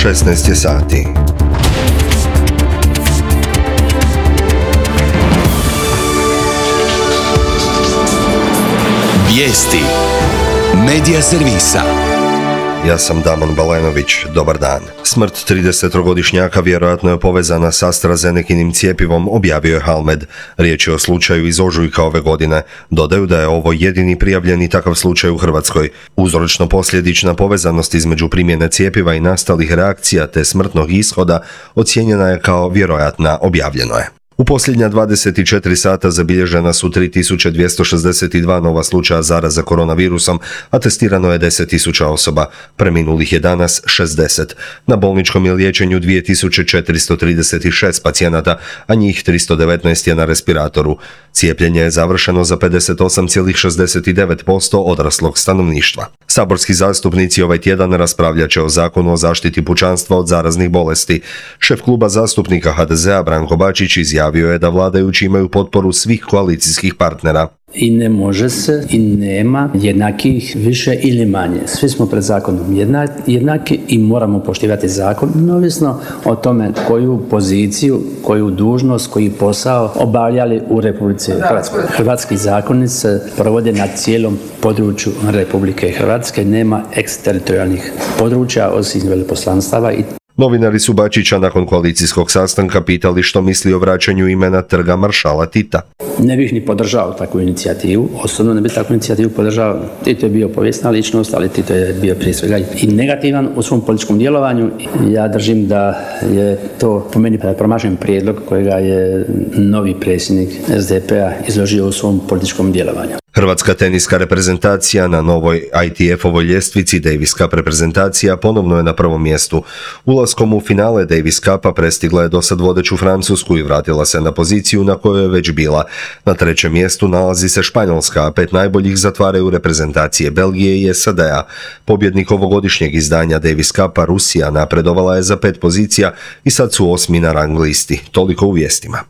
16 je sati. Vijesti Medija servisa. Ja sam Damon Balenović, dobar dan. Smrt 33-godišnjaka vjerojatno je povezana s AstraZenekinim cijepivom, objavio je Halmed. Riječ je o slučaju iz ožujka ove godine. Dodaju da je ovo jedini prijavljeni takav slučaj u Hrvatskoj. Uzročno-posljedična povezanost između primjene cijepiva i nastalih reakcija te smrtnog ishoda ocijenjena je kao vjerojatna, objavljeno je. U posljednja 24 sata zabilježena su 3262 nova slučaja zaraze koronavirusom, a testirano je 10.000 osoba. Preminulih je danas 60. Na bolničkom je liječenju 2436 pacijenata, a njih 319 je na respiratoru. Cijepljenje je završeno za 58,69% odraslog stanovništva. Saborski zastupnici ovaj tjedan raspravljat će o Zakonu o zaštiti pučanstva od zaraznih bolesti. Šef kluba zastupnika HDZ-a Branko Bačić izjavio je da vladajući imaju potporu svih koalicijskih partnera. I ne može se i nema jednakih više ili manje. Svi smo pred zakonom jednaki i moramo poštivati zakon, neovisno o tome koju poziciju, koju dužnost, koji posao obavljali u Republici Hrvatskoj. Hrvatski zakoni se provode na cijelom području Republike Hrvatske, nema eksteritorijalnih područja osim veleposlanstava i Novinari su Bačića nakon koalicijskog sastanka pitali što misli o vraćanju imena Trga maršala Tita. Ne bih ni podržao takvu inicijativu, osobno ne bih takvu inicijativu podržao. Tito je bio povijesna ličnost, ali Tito je bio prije svega i negativan u svom političkom djelovanju. Ja držim da je to po meni promašen prijedlog kojega je novi predsjednik SDP-a izložio u svom političkom djelovanju. Hrvatska teniska reprezentacija na novoj ITF-ovoj ljestvici Davis Cup reprezentacija ponovno je na prvom mjestu. Ulaskom u finale Davis Cupa prestigla je dosad vodeću Francusku i vratila se na poziciju na kojoj je već bila. Na trećem mjestu nalazi se Španjolska, a 5 najboljih zatvaraju reprezentacije Belgije i SAD-a. Pobjednik ovogodišnjeg izdanja Davis Cupa, Rusija, napredovala je za 5 pozicija i sad su 8. na rang listi. Toliko u vijestima.